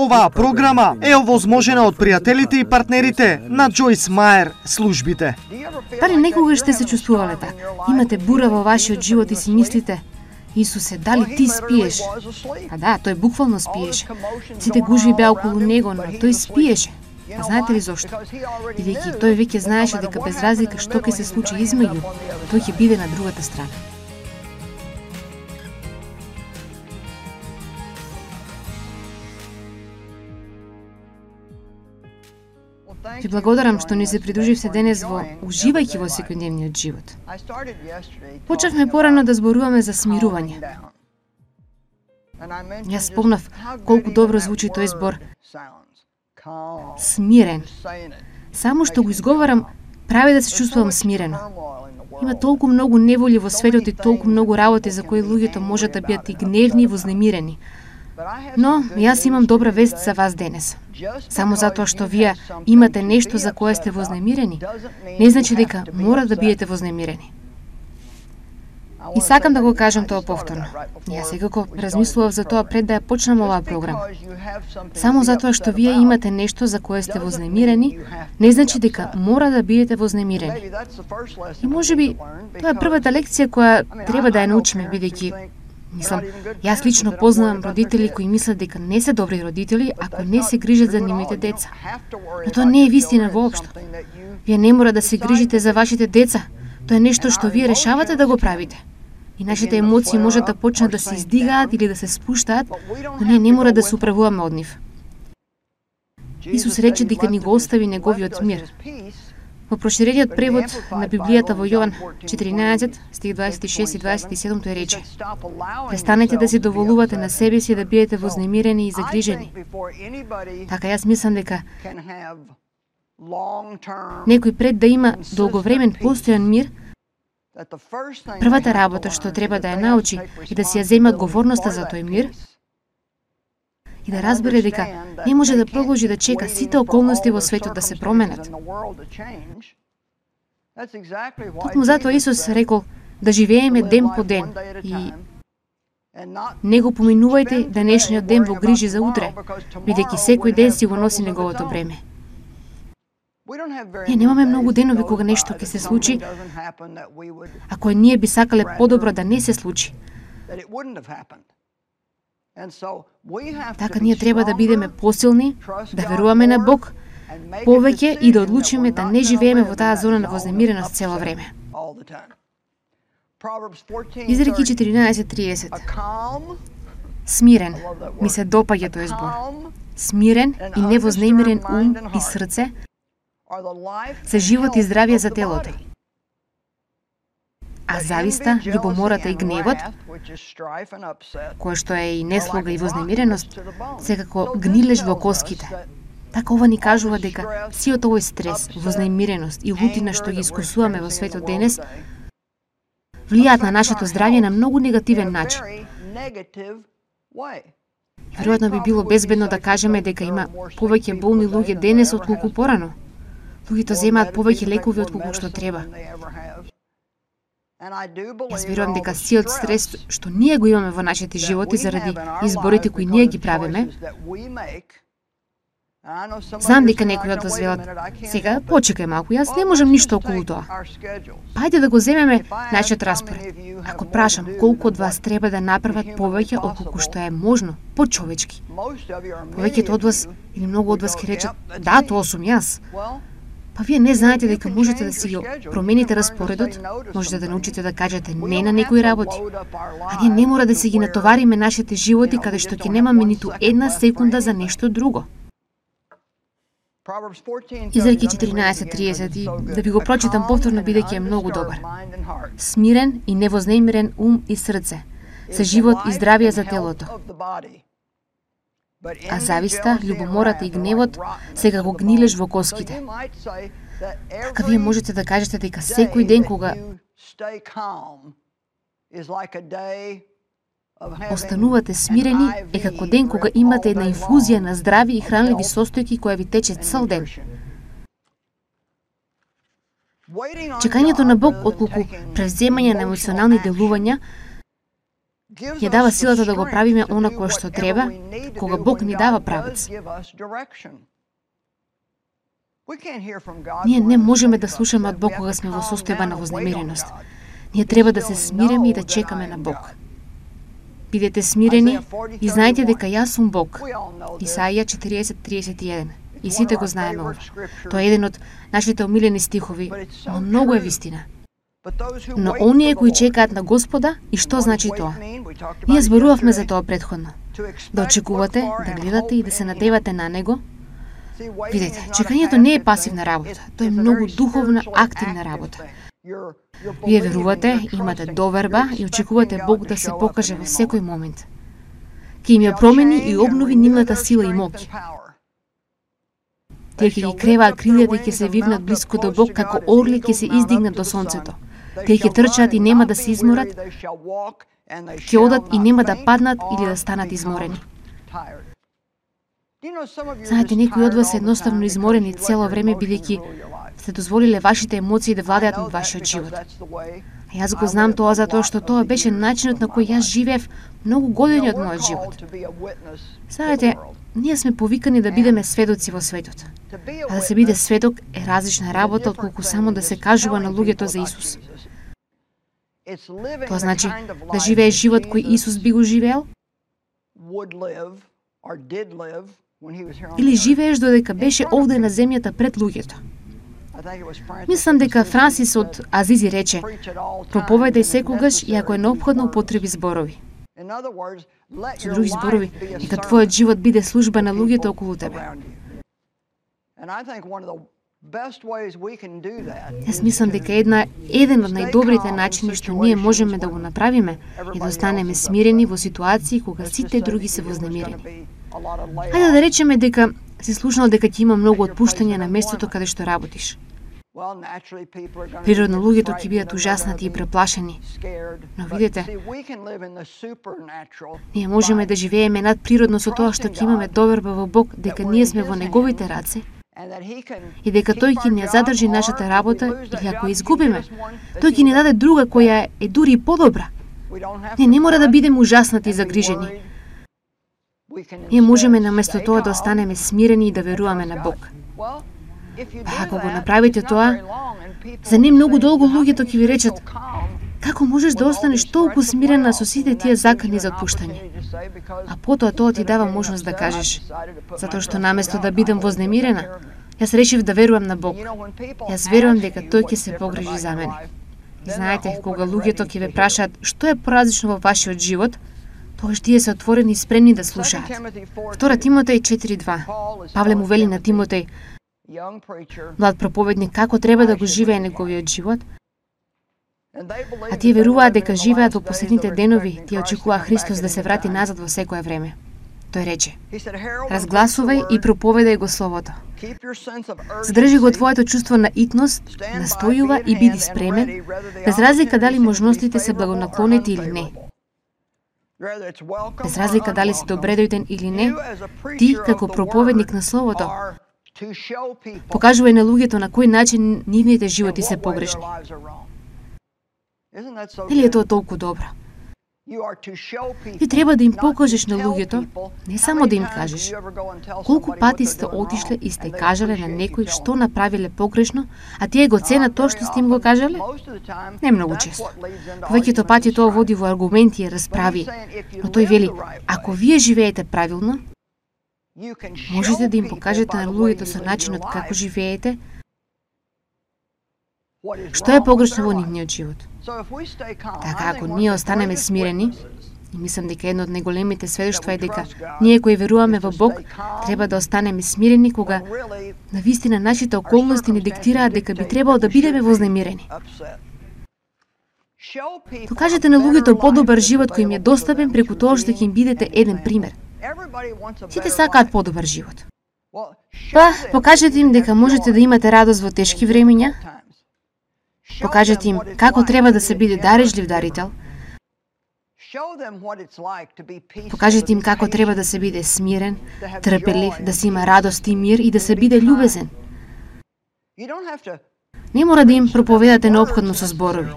Оваа програма е овозможена од пријателите и партнерите на Джойс Мајер службите. Дали некогаш сте се чувствувале така? Имате бура во вашиот живот и си мислите: Исусе, дали ти спиеш? А да, тој буквално спиеше. Сите гужви беа околу него, но тој спиеше. А знаете ли зошто? Бидејќи тој веќе знаеше дека без разлика што ќе се случи измеѓу, тој ќе биде на другата страна. Ви благодарам што ни се придруживте денес во уживајќи во секојдневниот живот. Почнавме порано да зборуваме за смирување. Јас спомнав колку добро звучи тој збор смирен. Само што го изговарам, прави да се чувствувам смирено. Има толку многу неволи во светот и толку многу работи за кои луѓето можат да бидат и гневни и вознемирени. Но јас имам добра вест за вас денес. Само затоа што вие имате нешто за кое сте вознемирени, не значи дека мора да бидете вознемирени. И сакам да го кажам тоа повторно. Јас секако размислував за тоа пред да ја почнам оваа програма. Само затоа што вие имате нешто за кое сте вознемирени, не значи дека мора да бидете вознемирени. И можеби тоа е првата лекција која треба да ја научиме, бидејќи мислам, јас лично познавам родители кои мислат дека не се добри родители ако не се грижат за нивните деца. Но тоа не е вистина воопшто. Вие не мора да се грижите за вашите деца. Тоа е нешто што вие решавате да го правите. И нашите емоции можат да почнат да се издигаат или да се спуштаат, но ние не мора да се управуваме од нив. Исус рече дека ни го остави неговиот мир. Во проширениот превод на Библијата во Јован 14, стих 26 и 27 тој рече: престанете да се доволувате на себе си да бидете вознемирени и загрижени. Така јас мислам дека некој пред да има долговремен постојан мир, првата работа што треба да ја научи и да си ја земе одговорноста за тој мир и да разбере дека не може да продолжи да чека сите околности во светот да се променат. Токму затоа Исус рекол да живееме ден по ден и не го поминувајте денешниот ден во грижи за утре, бидејќи секој ден си го носи неговото бреме. Ние немаме многу денови кога нешто ќе се случи, ако ние би сакале подобро да не се случи. Така ние треба да бидеме посилни, да веруваме на Бог повеќе и да одлучиме да не живееме во таа зона на вознемиреност цело време. Изреки 14:30. Смирен, ми се допаѓа тој збор. Смирен и невознемирен ум и срце се живот и здравје за телото. А зависта, љубомората и гневот, кој што е и неслога и вознемиреност, секако гнилеж во коските. Така ова ни кажува дека сиот овој стрес, вознемиреност и лутина што ги искусуваме во светот денес, влијаат на нашето здравје на многу негативен начин. Веројатно би било безбедно да кажеме дека има повеќе болни луѓе денес отколку порано. Луѓето земаат повеќе лекови отколку што треба. Јас верувам дека сиот стрес што ние го имаме во нашите животи заради изборите кои ние ги правиме, знам дека некои од вас велат: сега почекај малку, јас не можам ништо околу тоа. Пајде да го земеме нашиот распоред. Ако прашам колку од вас треба да направат повеќе отколку што е можно, почовечки. Повеќето од вас или многу од вас ќе речат: да, тоа сум јас. Па вие не знаете дека можете да си го промените распоредот, можете да научите да кажете не на некои работи. А ние не мора да си ги натовариме нашите животи каде што ќе немаме ниту една секунда за нешто друго. Изреки 14:30 и да ви го прочитам повторно бидејќи е многу добар. Смирен и невознемирен ум и срце, се живот и здравје за телото. А зависта, љубомората и гневот сега го гнилеш во коските. Така вие можете да кажете дека секој ден кога останувате смирени е како ден кога имате една инфузија на здрави и хранливи состојки која ви тече цел ден. Чекањето на Бог отколку превземање на емоционални делувања Ја дава силата да го правиме она кое што треба, кога Бог ни дава правец. Ние не можеме да слушаме од Бог кога сме во состојба на вознемиреност. Ние треба да се смиреме и да чекаме на Бог. Бидете смирени и знаете дека јас сум Бог. Исаија 40:31. И сите го знаеме ова. Тоа е еден од нашите омилени стихови, но многу е вистина. Но оние кои чекаат на Господа, и што значи тоа? Ние зборувавме за тоа претходно. Да очекувате, да гледате и да се надевате на Него. Видете, чекањето не е пасивна работа, тоа е многу духовна, активна работа. Вие верувате, имате доверба и очекувате Бог да се покаже во секој момент. Ке им ја промени и обнови нивната сила и моќ. Тие ќе ги креваат крилјата и ќе се вивнат блиску до Бог како орли ќе се издигнат до сонцето. Тие ќе трчаат и нема да се изморат, ќе одат и нема да паднат или да станат изморени. Знаете, некои од вас се едноставно изморени цело време бидејќи сте дозволиле вашите емоции да владеат над вашиот живот. А јас го знам тоа затоа што тоа беше начинот на кој јас живеев многу години од мојот живот. Знаете, ние сме повикани да бидеме сведоци во светот. А да се биде сведок е различна работа отколку само да се кажува на луѓето за Исус. Тоа значи да живееш живот кој Исус би го живеел, или живееш додека беше овде на земјата пред луѓето. Мислам дека Франсис од Азизи рече: проповедај секогаш и ако е неопходно употреби зборови. Со други зборови, нека твојот живот биде служба на луѓето околу тебе. Јас мислам дека еден од најдобрите начини што ние можеме да го направиме е да останеме смирени во ситуации кога сите други се вознемирени. Хајде да речеме дека си слушнал дека ќе има многу отпуштања на местото каде што работиш. Природно луѓето ќе бидат ужаснати и преплашени. Но видите, ние можеме да живееме надприродно со тоа што ќе имаме доверба во Бог дека ние сме во Неговите раце и дека Тој ќе ни ја задржи нашата работа или ако ја изгубиме, Тој ќе ни даде друга која е дури и подобра. Ние не мора да бидеме ужаснати и загрижени. Ние можеме наместо тоа да останеме смирени и да веруваме на Бог. Ако го направите тоа, за не многу долго луѓето ќе ви речат: како можеш да останеш толку смирена со сите тие закани за отпуштање? А потоа тоа ти дава можност да кажеш: затоа што наместо да бидам вознемирена, јас решив да верувам на Бог. Јас верувам дека Тој ќе се погрижи за мене. И знаете, кога луѓето ќе ве прашаат што е поразлично во вашиот живот, тогаш тие се отворени и спремни да слушаат. 2 Тимотеј 4:2. Павле му вели на Тимотеј, млад проповедник, како треба да го живее неговиот живот, а тие веруваат дека живеат во последните денови, тие очекува Христос да се врати назад во секое време. Тој рече: разгласувај и проповедај го Словото. Задржи го твоето чувство на итност, настојува и биди спремен, без разлика дали можностите се благонаклонети или не. Без разлика дали си добредојден или не, ти, како проповедник на Словото, покажувај на луѓето на кој начин нивните животи се погрешни. Нели е тоа толку добро? Ти треба да им покажеш на луѓето, не само да им кажеш. Колку пати сте отишле и сте кажале на некој што направиле погрешно, а тие го ценат тоа што сте им го кажале? Не многу често. Повеќето пати тоа води во аргументи и расправи, но тој вели: ако вие живеете правилно, можете да им покажете на луѓето со начинот како живеете, што е погрешно во нивниот живот. Така, ако ние останеме смирени, и мислам дека едно од најголемите сведоштва е дека ние кои веруваме во Бог, треба да останеме смирени кога навистина нашите околности ни диктираат дека би требало да бидеме вознемирени. Покажете на луѓето подобар живот кој им е достапен преку тоа што ќе им бидете еден пример. Сите сакаат подобар живот. Па, покажете им дека можете да имате радост во тешки времиња. Покажете им како треба да се биде дарежлив дарител. Покажете им како треба да се биде смирен, трпелив, да се има радост и мир и да се биде љубезен. Не мора да им проповедате неопходно со зборови.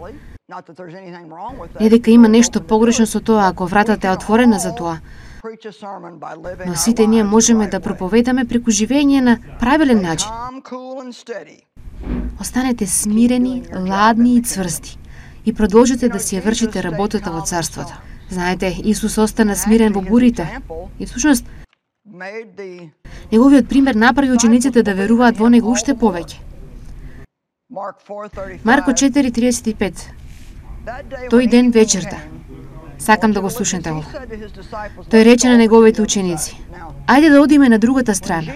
Не дека има нешто погрешно со тоа ако вратата е отворена за тоа, но сите ние можеме да проповедаме преку живење на правилен начин. Останете смирени, ладни и цврсти и продолжете да си ја вршите работата во царството. Знаете, Исус остана смирен во бурите и всушност неговиот пример направи учениците да веруваат во него уште повеќе. Марко 4:35. Тој ден вечерта. Сакам да го слушнете ово. Тој рече на неговите ученици: "Ајде да одиме на другата страна."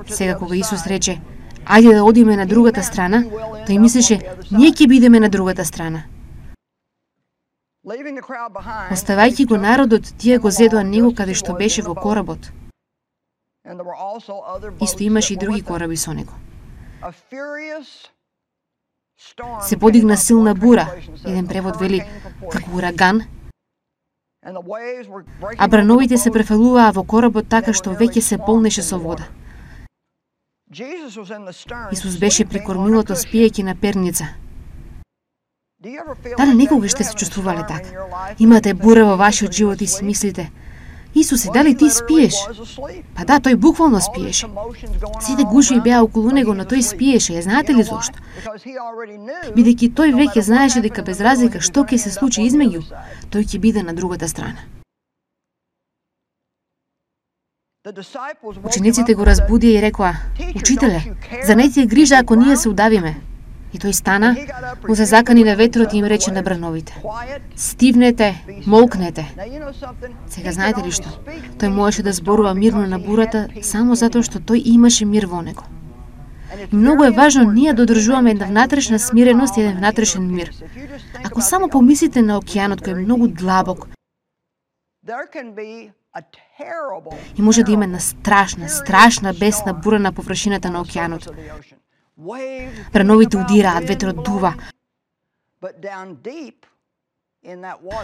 Сега кога Исус рече: "Ајде да одиме на другата страна", тој мислеше: "Ние ќе бидеме на другата страна." Оставајќи го народот, тие го зедоа него каде што беше во коработ. Исто имаше и други кораби со него. Се подигна силна бура, еден превод вели како ураган, а брановите се префалуваа во коработ така што веќе се полнеше со вода. Исус беше при кормилото спиејќи на перница. Дали некогаш сте се чувствувале така? Имате бура во вашиот живот и си мислите: "Исусе, дали ти спиеш?" Па да, тој буквално спиеше. Сите гужви беа околу него, но тој спиеше. Ја знаете ли зошто? Бидејќи тој веќе знаеше дека без разлика што ќе се случи измеѓу, тој ќе биде на другата страна. Учениците го разбудија и рекоа: "Учителе, за не ти е грижа ако ние се удавиме?" И тој стана, му се закани на ветрот и им рече на брановите: "Стивнете, молкнете." Сега знаете ли што? Тој можеше да зборува мирно на бурата само затоа што тој имаше мир во него. И многу е важно ние да одржуваме една внатрешна смиреност и еден внатрешен мир. Ако само помислите на океанот кој е многу длабок, и може да има една страшна бесна бура на површината на океанот. Брановите удираат, ветрот дува.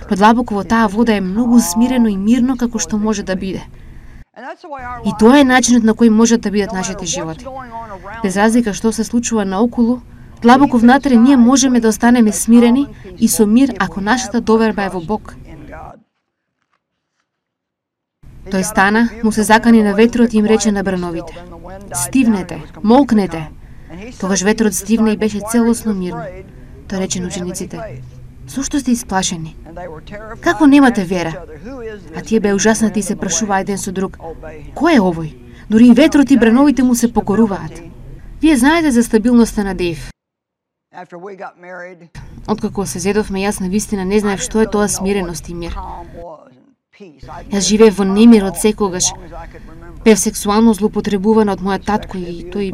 Но длабоко во таа вода е многу смирено и мирно како што може да биде. И тоа е начинот на кој можат да бидат нашите животи. Без разлика што се случува наоколу, длабоко внатре ние можеме да останеме смирени и со мир ако нашата доверба е во Бог. Тој стана, му се закани на ветрот и им рече на брановите: "Стивнете, молкнете." Тогаш ветрот стивна и беше целосно мирно. Тој рече на учениците: "Зошто сте исплашени? Како немате вера?" А тие беа ужаснати и се прашуваа еден со друг: "Кој е овој? Дури и ветрот и брановите му се покоруваат." Вие знаете за стабилноста на Дејв. Откако се зедовме, јас навистина не знаев што е тоа смиреност и мир. Јас живеев во немир од секогаш. Бев сексуално злоупотребувана од мојот татко и тој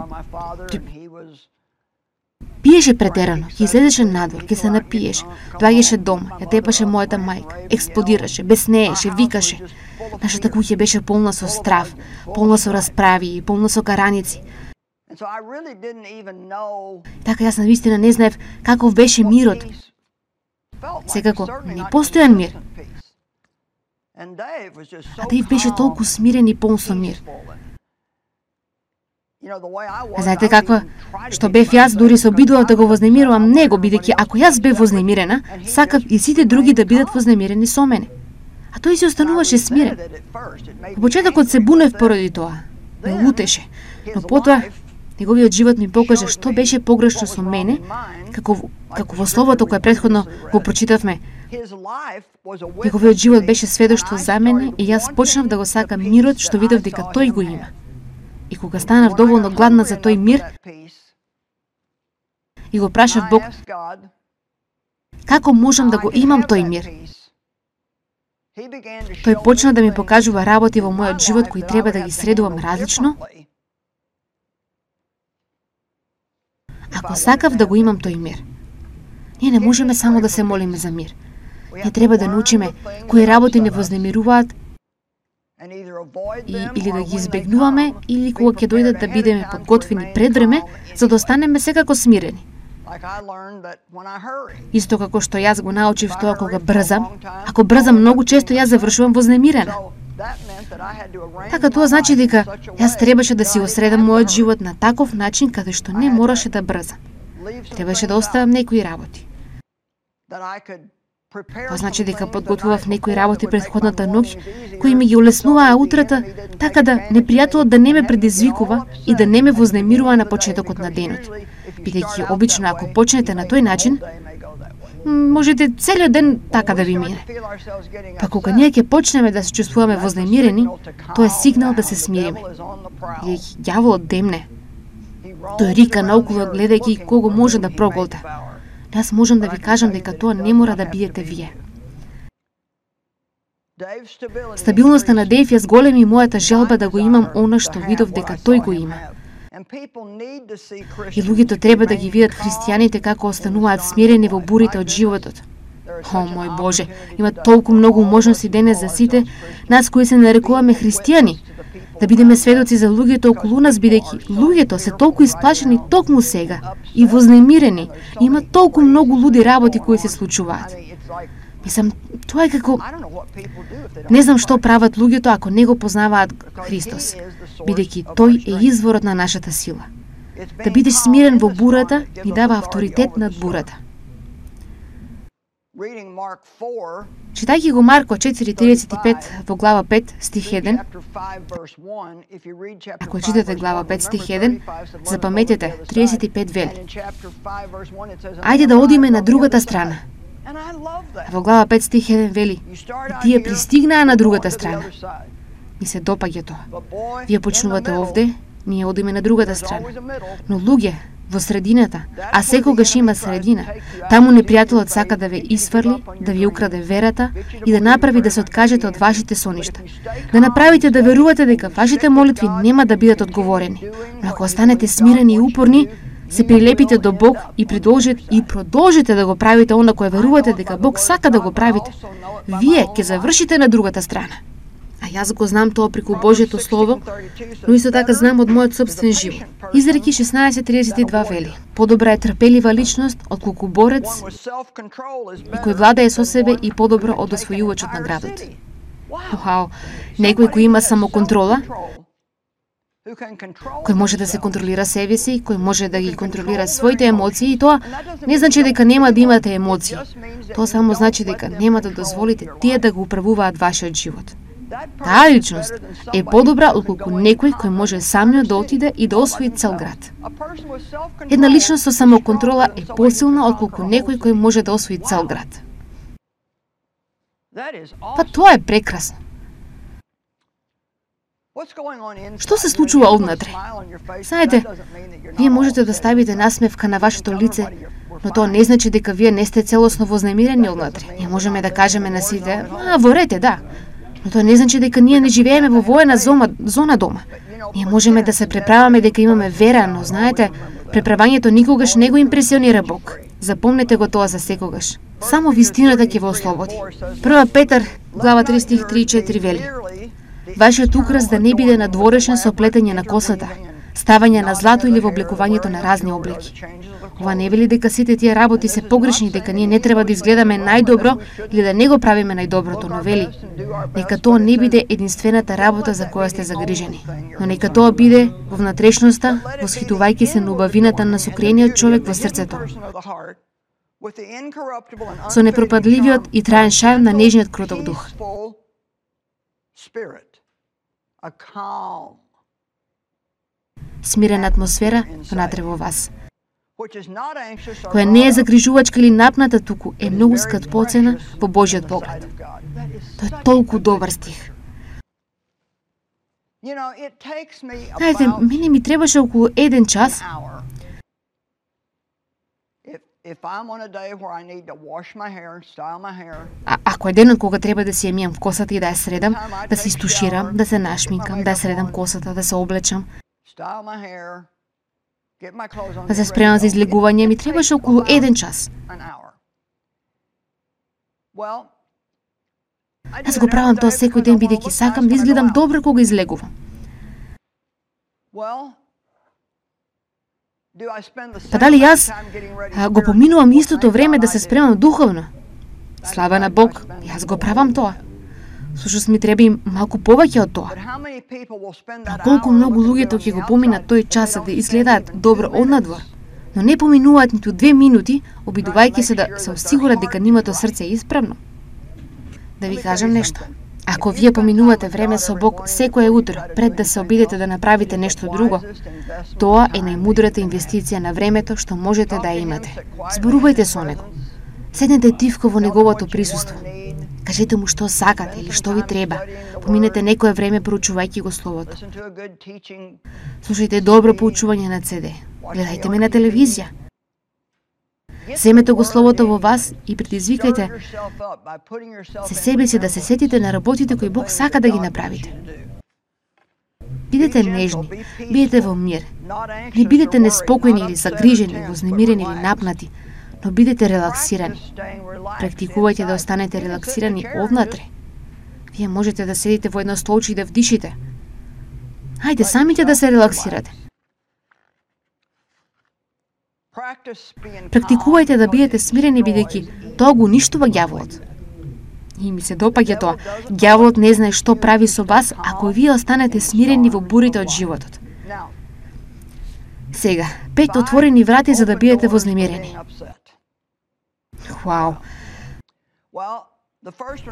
пиеше претерано, ќе излезеше надвор, ќе се напиеше, доаѓаше дома, ја тепаше мојата мајка, експлодираше, беснееше, викаше. Нашата куќа беше полна со страв, полна со расправи и полна со караници. Така јас навистина не знаев каков беше мирот. Секако не постојан мир. А Дејв беше толку смирен и полн со мир. А знаете каква? Што бев јас, дури се обидував да го вознемирувам него, бидејќи ако јас бев вознемирена, сакав и сите други да бидат вознемирени со мене. А тој се остануваше смирен. Во почетокот се бунев поради тоа. Ме лутеше. Но потоа неговиот живот ми покажа што беше погрешно со мене, како во словото кое претходно го прочитавме. Неговиот живот беше сведоштво за мене и јас почнав да го сакам мирот што видов дека тој го има. И кога станав доволно гладна за тој мир, и го прашав Бог, како можам да го имам тој мир? Тој почна да ми покажува работи во мојот живот кои треба да ги средувам различно. Ако сакав да го имам тој мир, ние не можеме само да се молиме за мир. Ние треба да научиме кои работи не вознемируваат или да ги избегнуваме, или кога ќе дојдат да бидеме подготвени пред време, за да останеме секако смирени. Исто како што јас го научив тоа кога брзам, ако брзам многу често јас завршувам вознемирена. Така тоа значи дека јас требаше да си го средам мојот живот на таков начин каде што не мораше да брзам. Требаше да оставам некои работи. Тоа значи дека подготвував некои работи претходната ноќ, кои ми ги олеснуваа утрата, така да непријателот да не ме предизвикува и да не ме вознемирува на почетокот на денот. Бидејќи обично ако почнете на тој начин, можете целиот ден така да ви мине. Па кога ние ќе почнеме да се чувствуваме вознемирени, тоа е сигнал да се смириме. Бидејќи ѓаволот демне. Тој рика наоколу гледајќи кого може да проголта. Јас можам да ви кажам дека тоа не мора да бидете вие. Стабилноста на Дејв ја зголеми мојата желба да го имам она што видов дека тој го има. И луѓето треба да ги видат христијаните како остануваат смирени во бурите од животот. О, мој Боже, има толку многу можности денес за сите нас кои се нарекуваме христијани, да бидеме сведоци за луѓето околу нас, бидејќи луѓето се толку исплашени токму сега и вознемирени. Има толку многу луди работи кои се случуваат. Мислам, тоа е како... Не знам што прават луѓето ако не го познаваат Христос, бидејќи тој е изворот на нашата сила. Да бидеш смирен во бурата ни дава авторитет над бурата. Читајќи го Марко 4:35 во глава 5 стих 1, ако читате глава 5 стих 1, запаметете, 35 вели: ајде да одиме на другата страна. Во глава 5 стих 1 вели: и тие пристигнаа на другата страна. Ми се допаѓа тоа. Вие почнувате овде, ние одиме на другата страна. Но луѓе во средината, а секогаш има средина. Таму непријателот сака да ве исфрли, да ви украде верата и да направи да се откажете од вашите соништа. Да направите да верувате дека вашите молитви нема да бидат одговорени. Но ако останете смирени и упорни, се прилепите до Бог и продолжите да го правите она кое верувате дека Бог сака да го правите, вие ќе завршите на другата страна. А јас го знам тоа преку Божјето Слово, но исто така знам од мојот собствен живот. Изреки 16:32 вели: подобра е трпелива личност отколку борец и кој владее со себе и подобро од освојувачот на градот. Вау, некој кој има самоконтрола, кој може да се контролира себе си, кој може да ги контролира своите емоции, и тоа не значи дека нема да имате емоции. Тоа само значи дека нема да дозволите тие да го управуваат вашиот живот. Таа личност е подобра отколку некој кој може самиот да отиде и да освои цел град. Една личност со самоконтрола е посилна отколку некој кој може да освои цел град. Па тоа е прекрасно. Што се случува однатре? Знаете, вие можете да ставите насмевка на вашето лице, но тоа не значи дека вие не сте целосно вознемирени однатре. Ние можеме да кажеме на сите: во ред, да. Но тоа не значи дека ние не живееме во воена зона дома. Ние можеме да се преправаме дека имаме вера, но знаете, преправањето никогаш не го импресионира Бог. Запомнете го тоа за секогаш. Само вистината ќе ве ослободи. 1 Петар, глава 3 стих 3 и 4 вели: вашиот украс да не биде надворешен со плетење на косата, ставање на злато или во облекувањето на разни облеки. Ова не вели дека сите тие работи се погрешни, дека ние не треба да изгледаме најдобро или да не го правиме најдоброто, но вели: нека тоа не биде единствената работа за која сте загрижени, но нека тоа биде во внатрешноста, восхитувајќи се на убавината на сокрениот човек во срцето, со непропадливиот и траен шарм на нежниот кроток дух. Смирена атмосфера внатре во вас, која не е загрижувачка или напната, туку е многу скапоцена во Божјиот поглед. Тоа е толку добар стих. Знаете, мене ми требаше околу 1 час ако е денот кога треба да си ја мијам косата и да ја средам, да се истуширам, да се нашминкам, да ја средам косата, да се облечам, да се спремам за излегување, ми требаше околу 1 час. Јас го правам тоа секој ден, бидејќи сакам да изгледам добро кога излегувам. Па дали јас го поминувам истото време да се спремам духовно? Слава на Бог, јас го правам тоа. Сушност ми треба и малку повеќе од тоа. Но колку многу луѓето ќе го поминат тој час да изгледаат добро однадвор, но не поминуваат ниту 2 минути, обидувајќи се да се осигурат дека нивното срце е исправно. Да ви кажам нешто. Ако вие поминувате време со Бог секое утро пред да се обидете да направите нешто друго, тоа е најмудрата инвестиција на времето што можете да ја имате. Зборувајте со него. Седнете тивко во неговото присуство. Кажете му што сакате или што ви треба. Поминете некое време проучувајќи го Словото. Слушајте добро поучување на CD. Гледајте ме на телевизија. Земете го Словото во вас и предизвикајте се себе си да се сетите на работите кои Бог сака да ги направите. Бидете нежни, бидете во мир. Не бидете неспокојни или загрижени, вознемирени или напнати, но бидете релаксирани. Практикувајте да останете релаксирани однатре. Вие можете да седите во едно столче и да вдишите. Хајде самите да се релаксирате. Практикувајте да бидете смирени, бидејќи тоа го уништува ѓаволот. И ми се допаѓа тоа. Ѓаволот не знае што прави со вас ако вие останете смирени во бурите од животот. Сега, 5 отворени врати за да бидете вознемирени. Вау!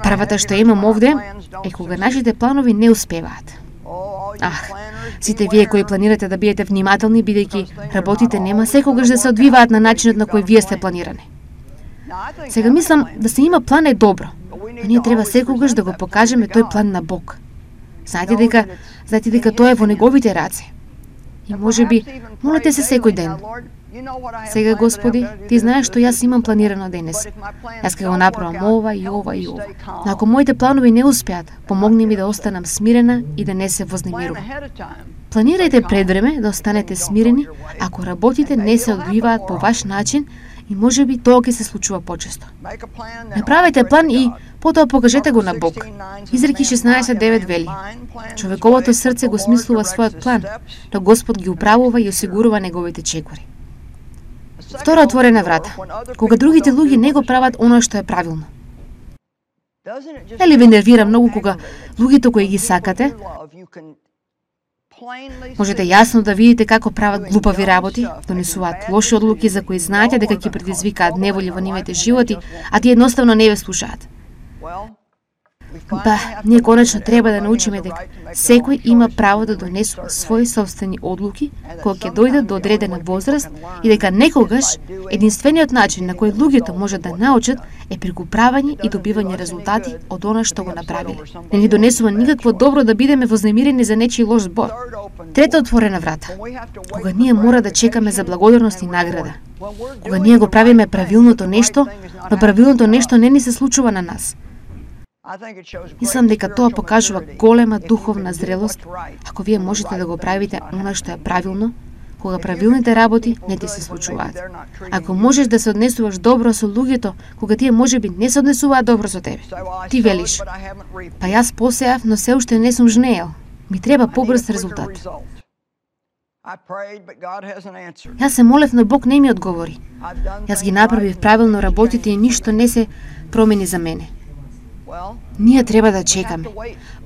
Првата што имам овде е кога нашите планови не успеваат. Сите вие кои планирате да бидете внимателни, бидејќи работите нема секогаш да се одвиваат на начинот на кој вие сте планирани. Сега мислам да се има план е добро, но ние треба секогаш да го покажеме тој план на Бог. Знаете дека тоа е во неговите раце. И можеби молете се секој ден. Сега, Господи, Ти знаеш што јас имам планирано денес. Јас ќе го направам ова и ова и ова. Но ако моите планови не успеат, помогни ми да останам смирена и да не се вознемирувам. Планирајте пред време да останете смирени ако работите не се одвиваат по ваш начин и можеби тоа ќе се случува почесто. Направете план и потоа покажете го на Бог. Изреки 16:9 вели: човековото срце го смислува својот план, но Господ ги управува и осигурува неговите чекори. Втора отворена врата. Кога другите луѓе не го прават оно што е правилно. Нели ве нервира многу кога луѓето кои ги сакате можете јасно да видите како прават глупави работи, донесуваат лоши одлуки за кои знаете дека ќе предизвикаат неволи во нивните животи, а тие едноставно не ве слушаат. Ние конечно треба да научиме дека секој има право да донесува своји собствени одлуки кога ќе дојдат до одредена возраст и дека некогаш единствениот начин на кој луѓето можат да научат е преку правење и добивање резултати од она што го направиле. Не ни донесува никакво добро да бидеме вознемирени за нечи лош збор. Трета отворена врата. Кога ние мора да чекаме за благодарност и награда. Кога ние го правиме правилното нешто, но правилното нешто не ни се случува на нас. Мислам дека тоа покажува голема духовна зрелост ако вие можете да го правите она што е правилно, кога правилните работи не ти се случуваат. Ако можеш да се однесуваш добро со луѓето, кога тие можеби не се однесуваат добро со тебе. Ти велиш: па јас посеав, но се уште не сум жнеел. Ми треба побрз резултат. Јас се молев, но Бог не ми одговори. Јас ги направив правилно работите и ништо не се промени за мене. Ние треба да чекаме.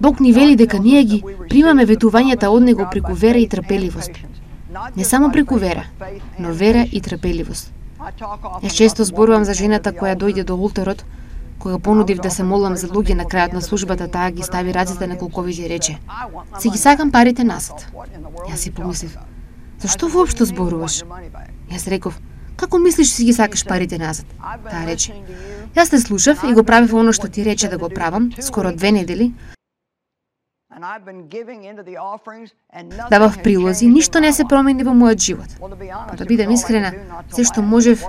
Бог ни вели дека ние ги примаме ветувањата од Него преку вера и трпеливост. Не само преку вера, но вера и трпеливост. Јас често зборувам за жената која дојде до ултарот, кога понудив да се молам за луѓе на крајот на службата, таа ги стави рацете на колковите и рече: "Си ги сакам парите назад." Јас си помислив: "Зашто воопшто зборуваш?" Јас реков: "Како мислиш си ги сакаш парите назад?" Таа рече: "Јас те слушав и го правев оно што ти рече да го правам скоро 2 недели. Давав прилози, ништо не се промени во мојот живот." Да бидам искрена, се што можев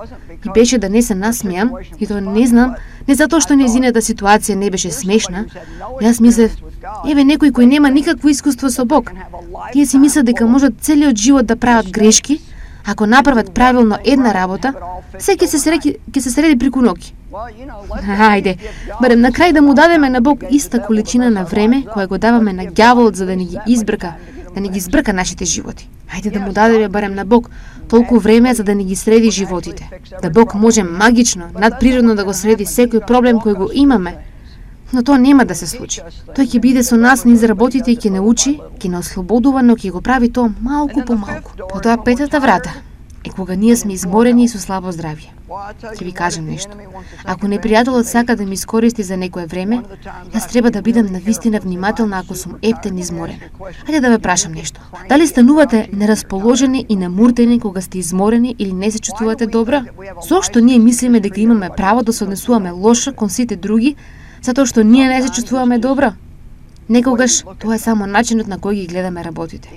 и беше да не се насмеам, и тоа не знам, не затоа што нејзината ситуација не беше смешна. Јас мислев: еве некој кој нема никакво искуство со Бог. Тие си мислат дека можат целиот живот да прават грешки. Ако направат правилно една работа, се ќе се среди преку ноќ. Хајде, барем на крај да му дадеме на Бог иста количина на време која го даваме на ѓаволот за да ни ги избрка, да ни ги збрка нашите животи. Хајде да му дадеме барем на Бог толку време за да ни ги среди животите. Да Бог може магично, надприродно да го среди секој проблем кој го имаме. Но тоа нема да се случи. Тој ќе биде со нас низ работите и ќе не учи, ќе не ослободува, но ќе го прави тоа малку по малку. Потоа петата врата. е кога ние сме изморени и со слабо здравје. Ќе ви кажам нешто. Ако непријателот сака да ми искористи за некое време, јас треба да бидам навистина внимателна ако сум ептен и изморена. Хајде да ве прашам нешто. Дали станувате нерасположени и намуртени кога сте изморени или не се чувствувате добро? Зошто ние мислиме дека имаме право да се однесуваме лошо кон сите други, затоа што ние не се чувствуваме добро? Некогаш тоа е само начинот на кој ги гледаме работите.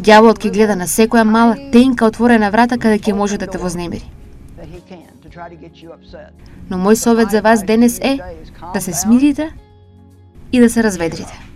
Ѓаволот ќе гледа на секоја мала, тенка отворена врата каде ќе може да те вознемири. Но мој совет за вас денес е да се смирите и да се разведрите.